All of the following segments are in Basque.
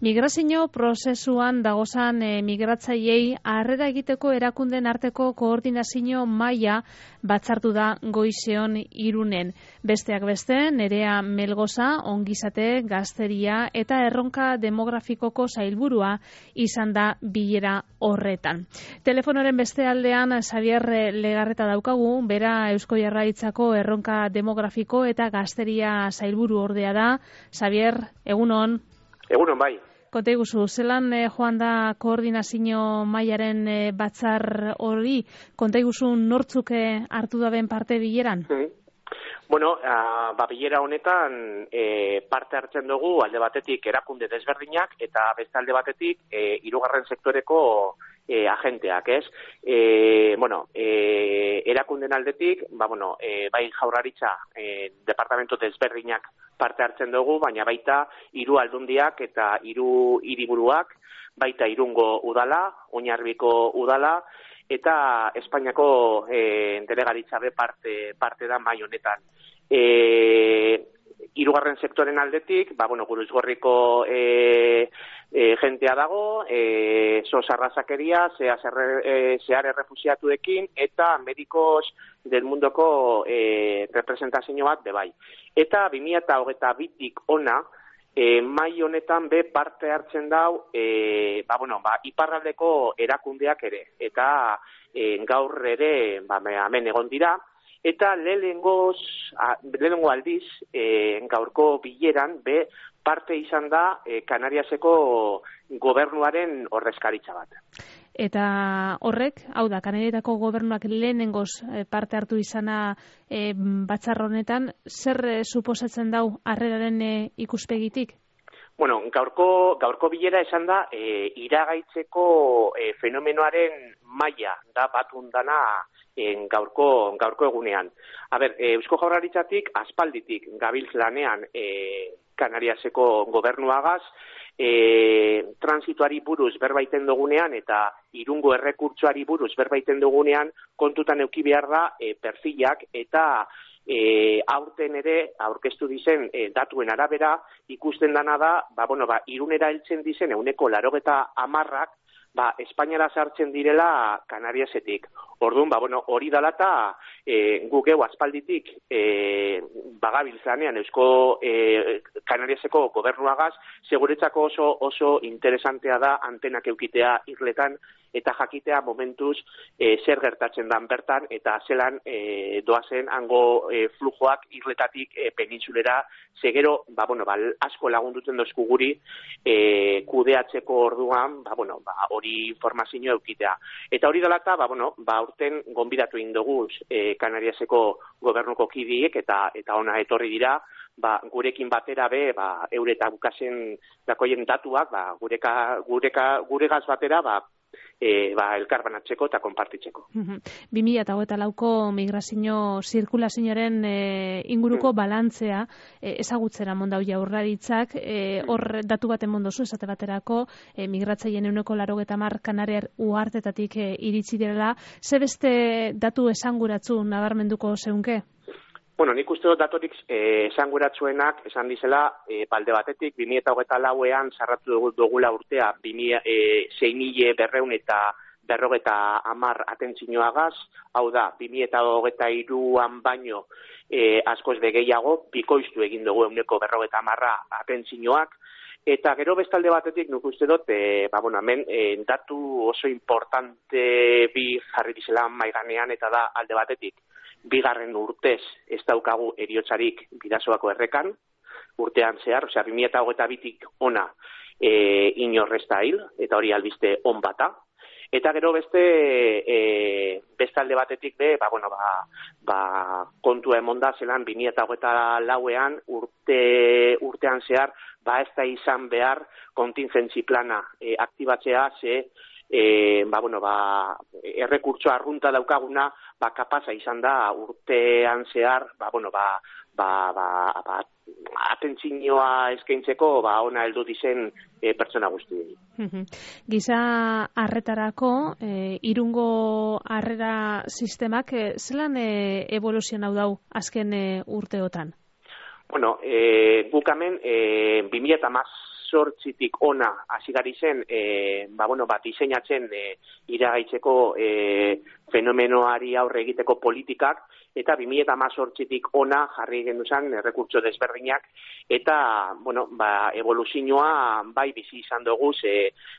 Migrazio prozesuan dagozan migratzaileei harrera egiteko erakunden arteko koordinazio maila batzartu da goizeon Irunen. Besteak beste, Nerea Melgoza, ongizate, gazteria eta erronka demografikoko sailburua izan da bilera horretan. Telefonoren beste aldean Xabier Legarreta daukagu, bera Eusko Jaurlaritzako erronka demografiko eta gazteria sailburu ordea da. Xabier, egunon. Egunon, bai. Konta iguzu, zelan joan da koordinazio mailaren batzar hori? Konta iguzu nortzuk hartu daben parte bileran? Bueno, bilera honetan parte hartzen dugu alde batetik erakunde desberdinak eta beste alde batetik hirugarren sektoreko agenteak, ez? Erakunden aldetik, bai Jaurlaritza departamento desberdinak parte hartzen dugu, baina baita hiru aldundiak eta hiru hiriburuak, baita Irungo udala, Oinarbiko udala, eta Espainiako delegaritza be parte da mai honetan. Hirugarren sektoren aldetik, Guruzgorriko jentea dago, sos arrazakeria, zehar errefusiatuekin, eta medikos del mundoko representazio bat bebai. Eta 2022tik ona, mai honetan be parte hartzen dau, iparraldeko erakundeak ere, eta gaur ere hemen egon dira, eta lehenengo aldiz gaurko bileran be parte izan da Kanariaseko gobernuaren ordezkaritza bat. Eta horrek, hau da, Kanarietako gobernuak lehenengoz parte hartu izana batzar honetan, zer suposatzen dau harreraren ikuspegitik? Bueno, gaurko bilera esan da iragaitzeko fenomenoaren maila da batundana gaurko egunean. Eusko Jaurlaritzatik aspalditik gabiltz lanean Kanariaseko gobernuagaz, transituari buruz berbaiten dugunean eta Irungo errekurtsoari buruz berbaiten dugunean kontutan eduki behar da perfilak eta aurten ere aurkeztu dizen datuen arabera ikusten dana da, Irunera heltzen dizen 80%, Espainiara sartzen direla Kanariasetik. Orduan, hori dela eta guk aspalditik bagabiltzanean Eusko Kanariaseko gobernuagaz, seguretzako oso interesantea da antenak eukitea irletan eta jakitea momentuz zer gertatzen dan bertan eta zelan doazen hango flujoak irletatik penintsulera, segero, asko lagunduten dozku guri kudeatzeko orduan, hori informazio eukitea. Eta hori dela eta, aurten gonbidatu indoguz Kanariaseko gobernuko kidiek eta ona etorri dira, gurekin batera be, eureta bukasen dakoien datuak, guregaz batera, elkarbanatzeko eta konpartitzeko. 2024ko migrazio zirkulazioaren inguruko balantzea ezagutzera mondau Jaurlaritzak, hor datu baten mondozu esate baterako migratzaileen 80% Kanariar uhartetatik iritsi direla, ze beste datu esanguratsu nabarmenduko zeunke? Bueno, nik uste dut datorik esanguratsuenak esan dizela, balde batetik, 2024an sarratu dugula urtea 6.200 eta 50 atentzioagaz, hau da, 2023an baino askoz gehiago, bikoiztu egin dugu 50 atentzioak, eta gero bestalde batetik nuk uste dut, hemen datu oso importante bi jarri dizela maiganean, eta da alde batetik, bigarren urtez ez daukagu eriotzarik Bidasoako errekan, urtean zehar, 2022tik ona inorrezta hil, eta hori albiste on bata. Eta gero bestalde batetik be, kontua emonda zelan 2024an urtean zehar, ez da izan behar kontingentzi plana aktibatzea, ze errekurtso arrunta daukaguna, kapasa izan da urtean zehar, atentzioa eskaintzeko, ona heldu dizen pertsona guztiei. Giza harretarako, Irungo harrera sistemak, zelan evoluzionau dau azken urteotan? Bueno, guk hemen 2018 2018tik ona hasi gari zen, diseinatzen iragaitzeko fenomenoari aurre egiteko politikak, eta 2018tik ona jarri genduzan errekurtso desberdinak, eta, evoluzioa bai bizi izan dugu,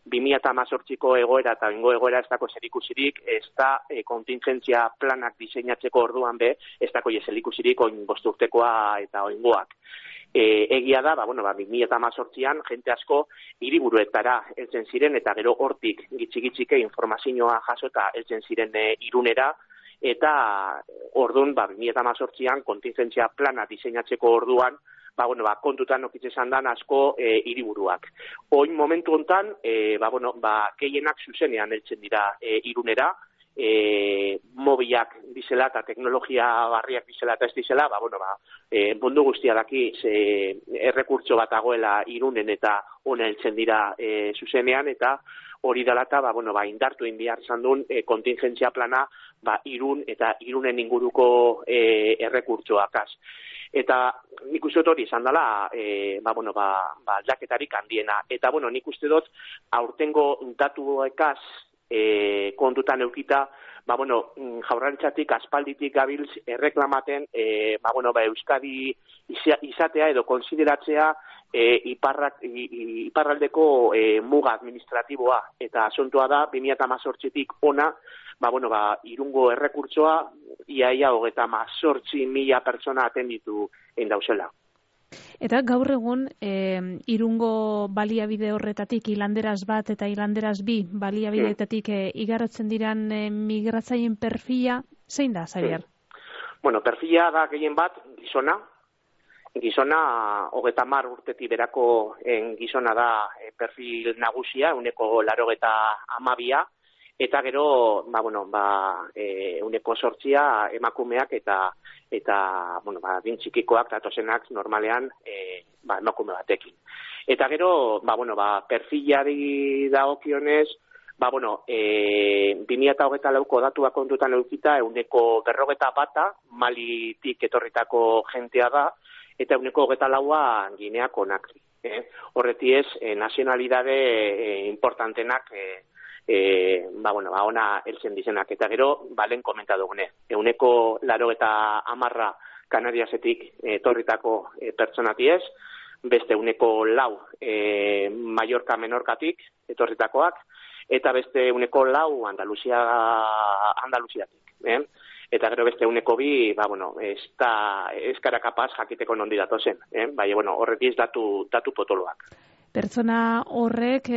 2018ko egoera eta bengo egoera ez dako zerikusirik, ez da kontingentzia planak diseinatzeko orduan ez dako zerikusirik oin bosturtekoa eta oingoak. Egia da, 2018an jente asko hiriburuetara heltzen ziren, eta gero hortik gitxike informazioa jasota heltzen ziren Irunera, eta orduan 2018an kontingentzia plana diseinatzeko orduan kontutan okitzen zandan asko hiriburuak. Oin momentu hontan, gehienak zuzenean heltzen dira Irunera, mobilak dizela eta teknologia barriak dizela eta ez dizela, mundu guztia daki errekurtso bat dagoela Irunen eta ona heltzen dira zuzenean, eta hori dela eta indartu egin behar izan duen kontingentzia plana Irun eta Irunen inguruko errekurtsoakaz. Eta nik uste dut hori izan dela aldaketarik handiena. Eta nik uste dut aurtengo datuekaz kontutan eukita, Jaurlaritzatik aspalditik gabiltz erreklamaten Euskadi izatea edo konsideratzea iparraldeko muga administratiboa, eta asuntoa da 2018tik ona Irungo errekurtsoa iaia 38.000 pertsona atenditu dauzela. Eta gaur egun Irungo baliabide horretatik hilanderaz bat eta hilanderaz bi baliabideetatik igarotzen diran migratzaien perfila, zein da, Xabier? Perfila da gehien bat gizona 30 urtetik berako gizona da perfil nagusia, 82%, eta gero 8% emakumeak eta dintxikikoak datozenak normalean emakume batekin. Eta gero perfilari dagokionez 2024ko datuak kontutan edukita 41% Malitik etorritako jentea da, eta 24% Ginea Konakri. Horretiez nazionalidade importantenak ona heltzen dizenak, eta gero balen komenta dugune. 80% Kanariasetik etorritako pertsonatiez, beste 4% Mallorca Menorkatik etorritakoak, eta beste 4% Andaluziatik. Eta gero beste 2% ez gara kapaz jakiteko nondi datozen. Horretiz datu potoloak. Pertsona horrek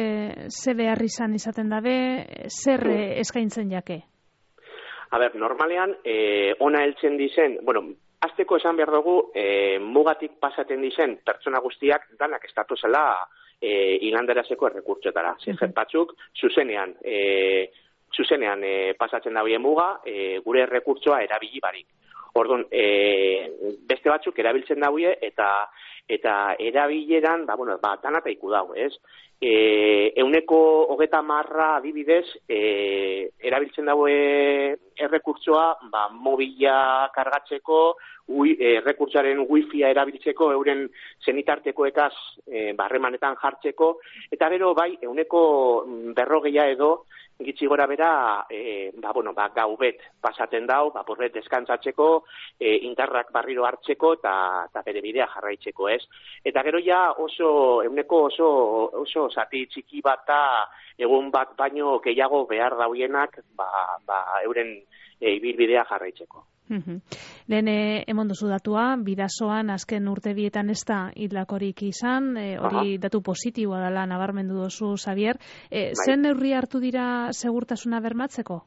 ze behar izaten dabe, zer eskaintzen jake? Normalean, ona heltzen dizen, azteko esan behar dugu, mugatik pasaten dizen pertsona guztiak danak estatuzela hilanderazeko errekurtsoetara. Zer batzuk, zuzenean pasatzen dabie muga, gure errekurtsoa erabili barik. Orduan, beste batzuk erabiltzen daue eta erabileran, danata iku dau, ez? 130% adibidez, erabiltzen daue errekurtsoa, mobila kargatzeko, errekurtsoaren wifia erabiltzeko, euren zenitartekoekaz harremanetan jartzeko, eta gero 140% edo, gitxi gora bera, gaubet pasaten dau, porret deskantzatzeko, indarrak barriro hartzeko eta bere bidea jarraitzeko, ez? Eta gero ja oso zati txiki bat egun bat baino gehiago behar dauienak euren ibilbidea jarraitzeko. Lehen emon duzu datua, bidasoan azken urte bietan ez da hildlakorik izan, hori datu positiboa dela nabarmendu duzu, Xabier. Zen neurri hartu dira segurtasuna bermatzeko?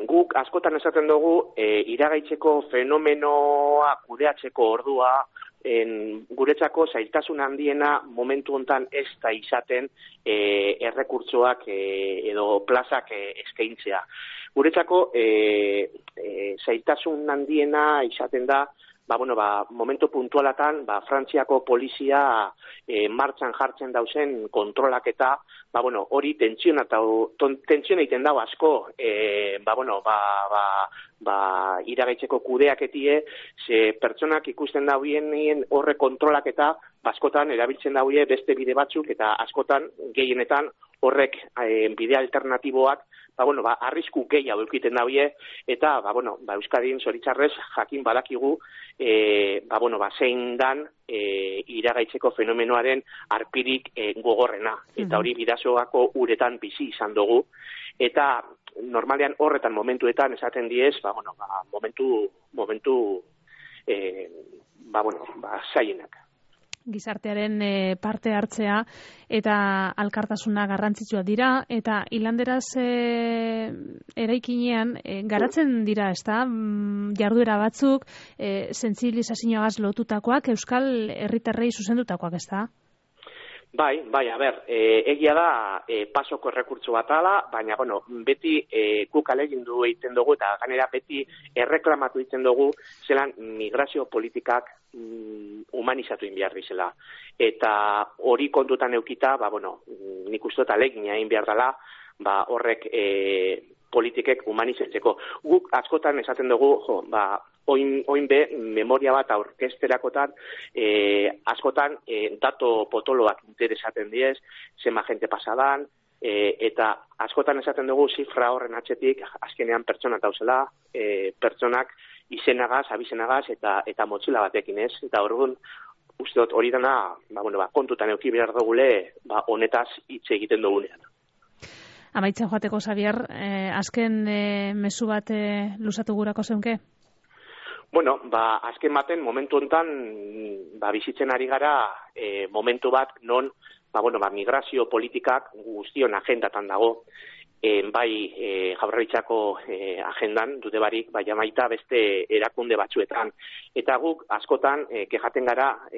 Guk askotan esaten dugu, iragaitzeko fenomenoa kudeatzeko ordua, guretzako zailtasun handiena momentu hontan ez da izaten errekurtsoak edo plazak eskaintzea. Guretzako zailtasun handiena izaten da momentu puntualatan, Frantziako polizia martxan jartzen dauzen kontrolaketa, hori tentsiona egiten dago asko, iragaitzeko kudeaketie, ze pertsonak ikusten dauen horre kontrolaketa, askotan erabiltzen daue beste bide batzuk, eta askotan, gehienetan, horrek bide alternatiboak, arrisku gehiago eukiten daue, eta, Euskadin zoritzarrez jakin badakigu, zein dan iragaitzeko fenomenoaren arpirik gogorrena, eta hori bidasoako uretan bizi izan dugu, eta normalean horretan momentuetan esaten diez, momentu zaienak. Gizartearen parte hartzea eta alkartasuna garrantzitsua dira, eta hilanderaz eraikinean garatzen dira, ezta? Jarduera batzuk, sentsibilizazioagaz lotutakoak, euskal herritarrei zuzendutakoak, ezta? Bai, egia da pasoko errekurtso bat ala, baina, beti guk alegindu egiten dugu, eta ganera beti erreklamatu egiten dugu, zelan migrazio politikak humanizatu behar dizela. Eta hori kontutan eukita, nik uste dut alegina egin behar dela, horrek politikek humanizatzeko. Guk askotan esaten dugu, oin be, memoria bat aurkesterakotan, askotan dato potoloak interesaten diez, zema jente pasadan, eta askotan esaten dugu zifra horren atzetik, azkenean pertsona dauzela, pertsonak izenagaz, abizenagaz, eta motxila batekin ez, eta orduan, uste dut hori dana, kontutan euki behar dugule, honetaz hitz egiten dugunean. Amaitzen joateko, Xabier, azken mezu bat luzatu gurako zeunke? Azken baten, momentu honetan, bizitzen ari gara, momentu bat non, migrazio politikak guztion agendatan dago, bai Jaurlaritzako agendan, dute barik, bai amaita beste erakunde batzuetan. Eta guk askotan kejaten gara,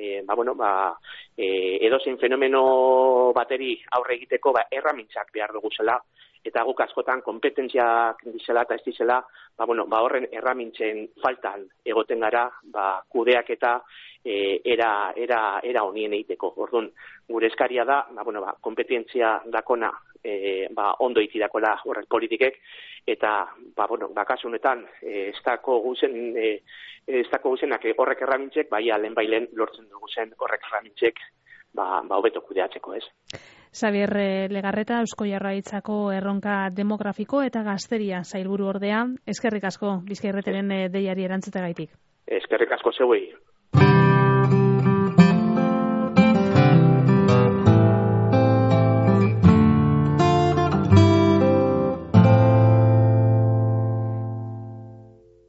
edozein fenomeno bateri aurre egiteko erramintzak behar dugu zela, eta guk askotan kompetentziak dizela eta ez dizela, horren erramintzen faltan egoten gara, kudeak eta era honien egiteko. Orduan, gure eskaria da, kompetentzia dakona ondo itidakola horrek politikek, eta, kasu honetan, ez dako guzenak horrek erramintzek, lehen lortzen dugu zen horrek erramintzek, hobeto kudeatzeko, ez? Xabier Legarreta, Eusko Jaurlaritzako erronka demografiko eta gazteria sailburu ordea, eskerrik asko Bizkaia Irratiaren deiari erantzuteagaitik. Eskerrik asko zeuei.